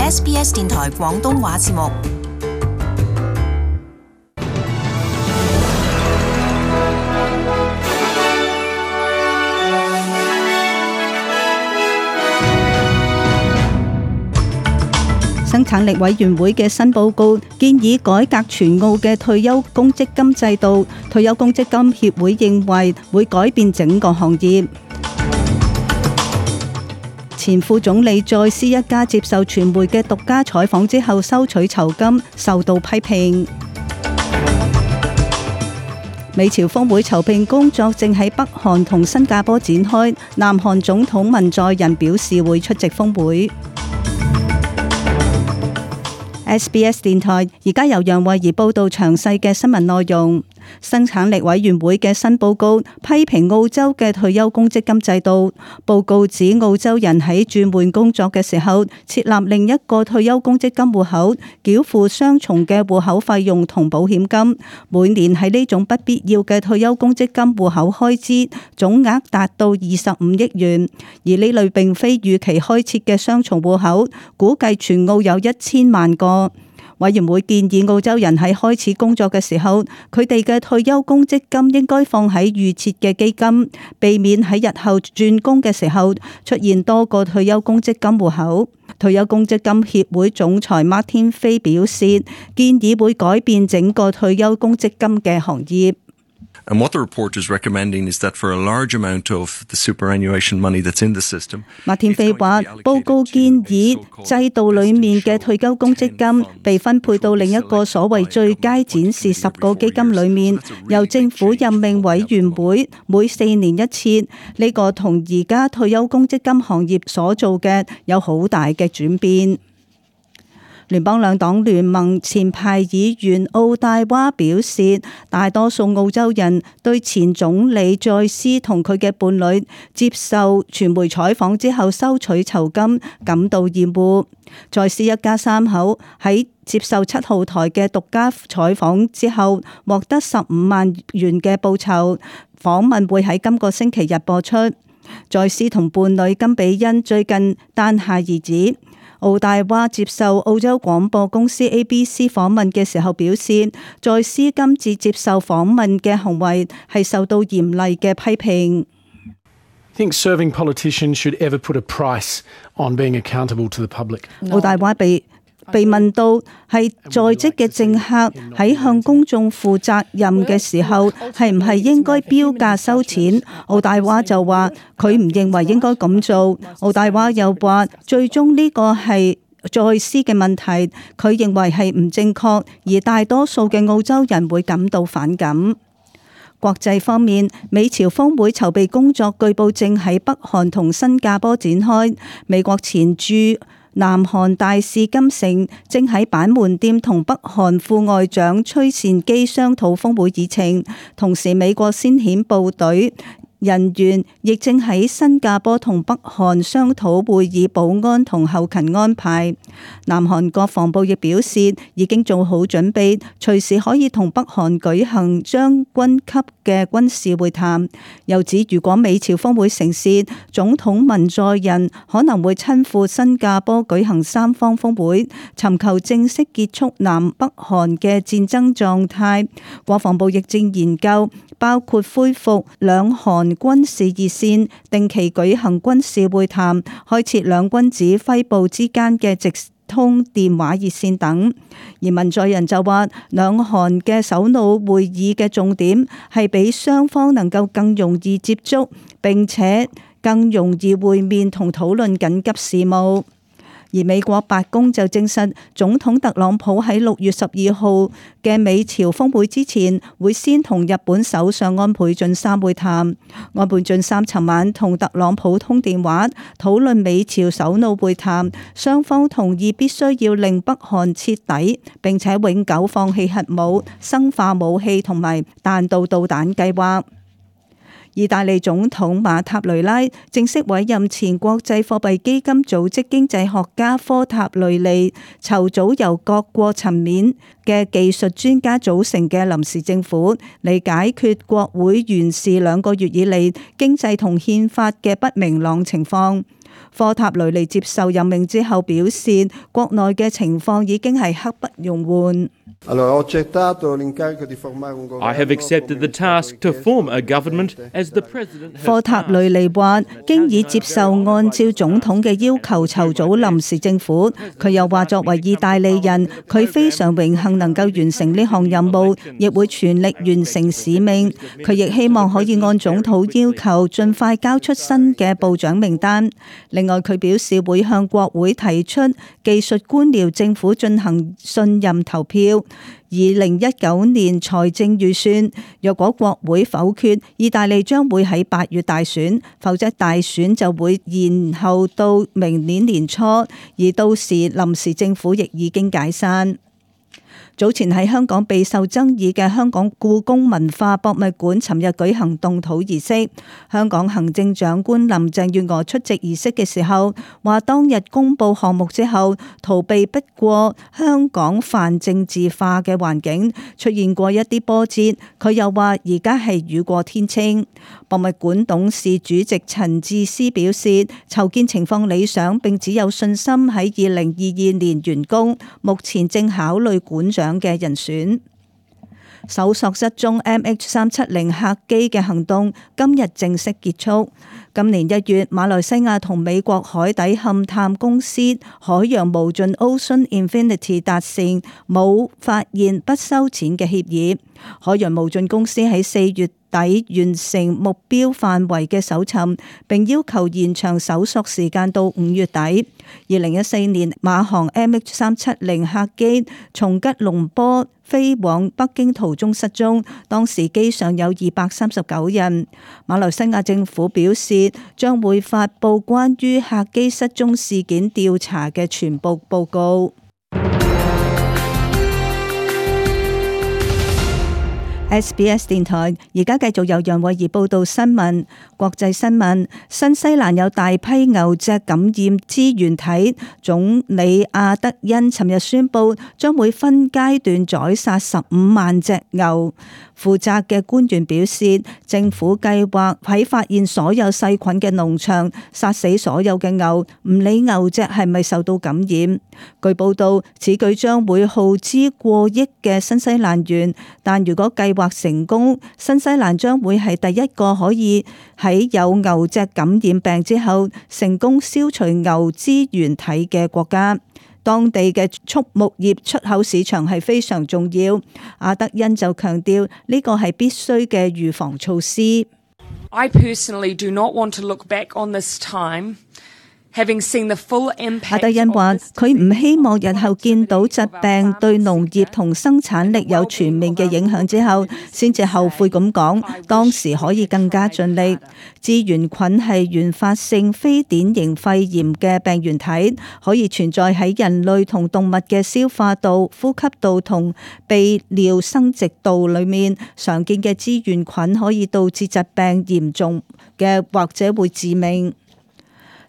SBS 電台廣東話節目。生產力委員會嘅新報告建議改革全澳嘅退休公積金制度，退休公積金協會認為會改變整個行業。前副總理再斯一家接受傳媒嘅獨家採訪之後收取酬金，受到批評。美朝峰會籌備工作正喺北韓同新加坡展開，南韓總統文在寅表示會出席峰會。SBS 電台而家由楊慧儀報道詳細嘅新聞內容。生產力委員會嘅新報告批評澳洲嘅退休公積金制度。報告指澳洲人喺轉換工作嘅時候設立另一個退休公積金戶口，繳付雙重嘅戶口費用同保險金。每年喺呢種不必要嘅退休公積金戶口開支總額達到25億元，而呢類並非預期開設嘅雙重戶口，估計全澳有1000萬個。委員會建議澳洲人喺開始工作嘅時候，佢哋嘅退休公積金應該放喺預設嘅基金，避免喺日後轉工嘅時候出現多個退休公積金戶口。退休公積金協會總裁 Martin Fay 表示，建議會改變整個退休公積金嘅行業。And what the report is recommending is that for a large amount of the superannuation money that's in the system， 馬天飛話，報告建議制度裡面嘅退休公積金被分配到另一個所謂最佳展示10個基金裡面，由政府任命委員會每4年一次。呢個同而家退休公積金行業所做嘅有好大嘅轉變。聯邦兩黨聯盟前派議員奧戴娃表示，大多數澳洲人對前總理再斯同佢嘅伴侶接受傳媒採訪之後收取酬金感到厭惡。再斯一家3口喺接受7號台嘅獨家採訪之後獲得15萬元嘅報酬。訪問會喺今個星期日播出。再斯同伴侶金比恩最近誕下兒子。奧戴娃接受澳洲廣播公司 ABC 訪問嘅時候表示，再斯今次接受訪問嘅行為係受到嚴厲嘅批評。I think serving politicians should ever put a price on being accountable to the public. 奧戴娃被問到係在職嘅政客喺向公眾負責任嘅時候係唔係應該標價收錢，奧戴娃就話佢唔認為應該咁做。奧戴娃又話最終呢個係再斯嘅問題，佢認為係唔正確，而大多數嘅澳洲人會感到反感。國際方面，美朝峰會籌備工作據報正喺北韓同新加坡展開。美國前駐南韓大使金城正喺板門店同北韓副外長崔善基商討峰會議程，同時美國先遣部隊人員亦正喺新加坡同北韓商討會議保安同後勤安排。南韓國防部亦表示已經做好準備，隨時可以同北韓舉行將軍級嘅軍事會談。又指如果美朝峰會成事，總統文在寅可能會親赴新加坡舉行3方峰會，尋求正式結束南北韓嘅戰爭狀態。國防部亦正研究包括恢復兩韓軍事熱線，定期舉行軍事會談，開設兩軍指揮部之間嘅直通電話熱線等。而文在寅就話，兩韓嘅首腦會議嘅重點係俾雙方能夠更容易接觸，並且更容易會面同討論緊急事務。而美國白宮就證實，總統特朗普喺6月12號嘅美朝峰會之前，會先同日本首相安倍晉三會談。安倍晉三尋晚同特朗普通電話，討論美朝首腦會談，雙方同意必須要令北韓徹底並且永久放棄核武、生化武器同埋彈道導彈計劃。意大利總統馬塔雷拉正式委任前國際貨幣基金組織經濟學家科塔雷利籌組由各國層面嘅技術專家組成嘅臨時政府，嚟解決國會原事2個月以嚟經濟同憲法嘅不明朗情況。科塔雷尼接受任命之後表示，國內嘅情況已經係刻不容緩。I have accepted the task to form a government as the president has 科塔雷尼話經已接受按照總統嘅要求籌組臨時政府。佢又話作為意大利人，佢非常榮幸能夠完成呢項任務，亦會全力完成使命。佢亦希望可以按總統要求盡快交出新嘅部長名單。另外，佢表示會向國會提出技術官僚政府進行信任投票。2019年財政預算，若果國會否決，意大利將會喺8月大選，否則大選就會延後到明年年初，而到時臨時政府亦已經解散。早前喺香港備受爭議嘅香港故宮文化博物館尋日舉行動土儀式，香港行政長官林鄭月娥出席儀式嘅時候話，當日公布項目之後，逃避不過香港泛政治化嘅環境，出現過一啲波折。佢又話而家係雨過天青。博物館董事主席陳智思表示，籌建情況理想，並只有信心喺2022年完工，目前正考慮館長嘅人選。搜索失蹤 MH370 客機嘅行動今日正式結束。今年1月，馬來西亞同美國海底勘探公司海洋無盡 Ocean Infinity 達成冇發現不收錢嘅協議。海洋無盡公司喺4月底完成目標範圍嘅搜尋，並要求延長搜索時間到5月底。2014年，馬航 MH370 客機從吉隆坡飛往北京途中失蹤，當時機上有239人。馬來西亞政府表示，將會發布關於客機失蹤事件調查嘅全部報告。SBS 電台而家繼續由楊慧儀報道新聞。國際新聞：新西蘭有大批牛隻感染支原體，總理阿德恩尋日宣布將會分階段宰殺15萬隻牛。負責嘅官員表示，政府計劃喺發現所有細菌嘅農場殺死所有嘅牛，唔理牛隻係咪受到感染。據報道，此舉將會耗資過億嘅新西蘭元，但如果計劃成功，新西蘭將會係第一個可以喺有牛隻感染病之後成功消除牛支原體嘅國家。當地嘅畜牧業出口市場係非常重要。阿德恩就強調呢個係必須嘅預防措施。I personally do not want to look back on this time having seen the full impact。阿德恩話：佢唔希望日後見到疾病對農業同生產力有全面嘅影響之後，先至後悔咁講，當時可以更加盡力。支原菌係原發性非典型肺炎嘅病原體，可以存在喺人類同動物嘅消化道、呼吸道同泌尿生殖道裏面。常見嘅支原菌可以導致疾病嚴重嘅或者會致命。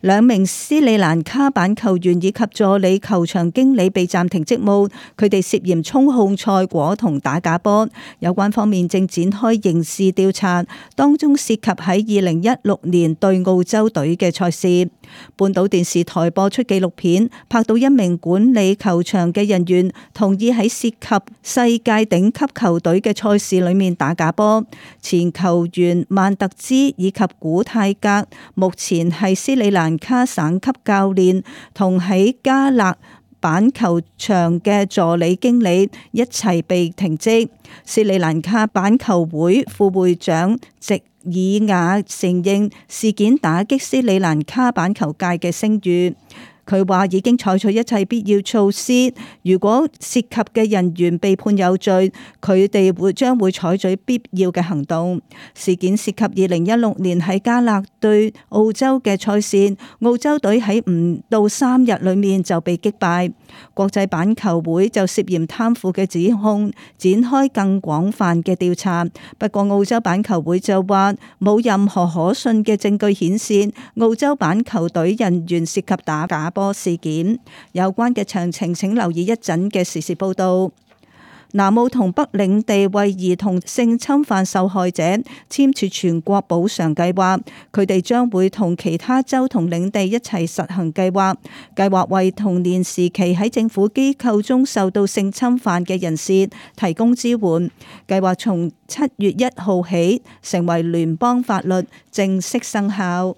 2名斯里蘭卡板球員以及助理球場經理被暫停職務，佢哋涉嫌操控賽果同打假波。有關方面正展開刑事調查，當中涉及喺2016年對澳洲隊嘅賽事。半島電視台播出紀錄片，拍到一名管理球場嘅人員同意喺涉及世界頂級球隊嘅賽事裏面打假波。前球員曼特茲以及古泰格目前係斯里蘭卡省級教練，同喺加勒板球場嘅助理經理一齊被停職。斯里蘭卡板球會副會長席爾亞承認事件打擊斯里蘭卡板球界嘅聲譽。佢話已經採取一切必要措施，如果涉及嘅人員被判有罪，佢哋將會採取必要嘅行動。事件涉及2016年喺加勒對澳洲嘅賽事，澳洲隊喺唔到3日裏面就被擊敗。國際板球會就涉嫌貪腐嘅指控展開更廣泛嘅調查，不過澳洲板球會就話冇任何可信嘅證據顯示澳洲板球隊人員涉及打假波事件。有關嘅詳情請留意一陣嘅時事報道。南澳同北領地為兒童性侵犯受害者簽署全國補償計劃，佢哋將會同其他州同領地一齊實行計劃，計劃為童年時期喺政府機構中受到性侵犯嘅人士提供支援。計劃從7月1號起成為聯邦法律，正式生效。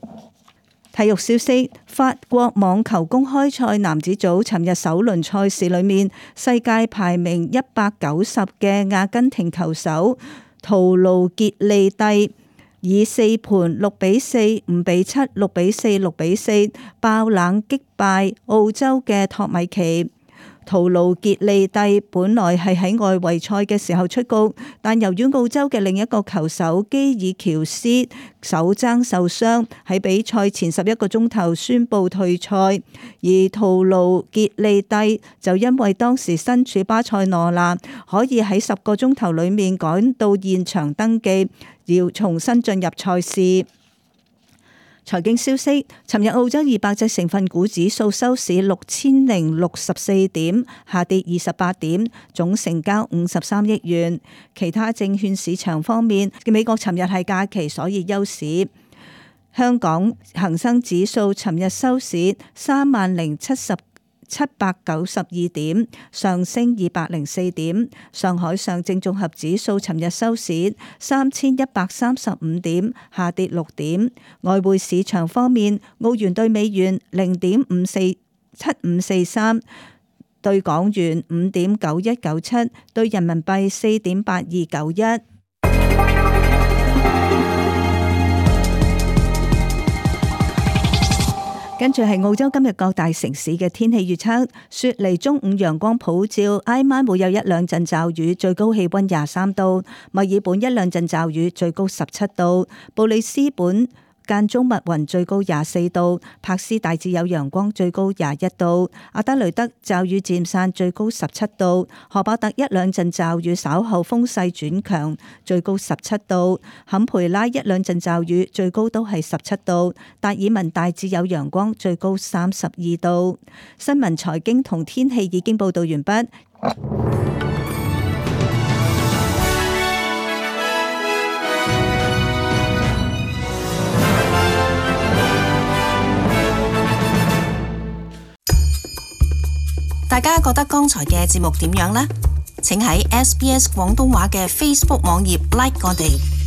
體育消息：法國網球公開賽男子組尋日首輪賽事裏面，世界排名190嘅阿根廷球手圖盧傑利蒂以4盤6-4、5-7、6-4、6-4爆冷擊敗澳洲嘅托米奇。圖盧傑利蒂本來係喺外圍賽嘅時候出局，但由於澳洲嘅另一個球手基爾喬斯手踭受傷，喺比賽前11個鐘頭宣布退賽，而圖盧傑利蒂就因為當時身處巴塞羅那，可以喺10個鐘頭裏面趕到現場登記，要重新進入賽事。財經消息：尋日澳洲200隻成分股指數收市6064點，下跌28點，總成交53億元。其他證券市場方面，美國尋日係假期，所以休市。香港恒生指數尋日收市30,792點，上升204點。上海上證綜合指數尋日收市3135點，下跌6點。外匯市場方面，澳元對美元0.7543，對港元5.9197，對人民幣4.8291。跟住係澳洲今日各大城市嘅天氣預測：雪梨中午陽光普照，挨晚會有一兩陣驟雨，最高氣溫23度；墨爾本一兩陣驟雨，最高17度；布里斯本間中密雲，最高24度；柏斯大致有陽光，最高21度；阿德雷德驟雨漸散，最高17度；荷伯特一兩陣驟雨，稍後風勢轉強，最高17度；坎培拉一兩陣驟雨，最高都係17度；達爾文大致有陽光，最高32度。新聞財經同天氣已經報道完畢。大家覺得剛才嘅節目點樣呢？請喺SBS 廣東話嘅 Facebook 網頁 like 我哋。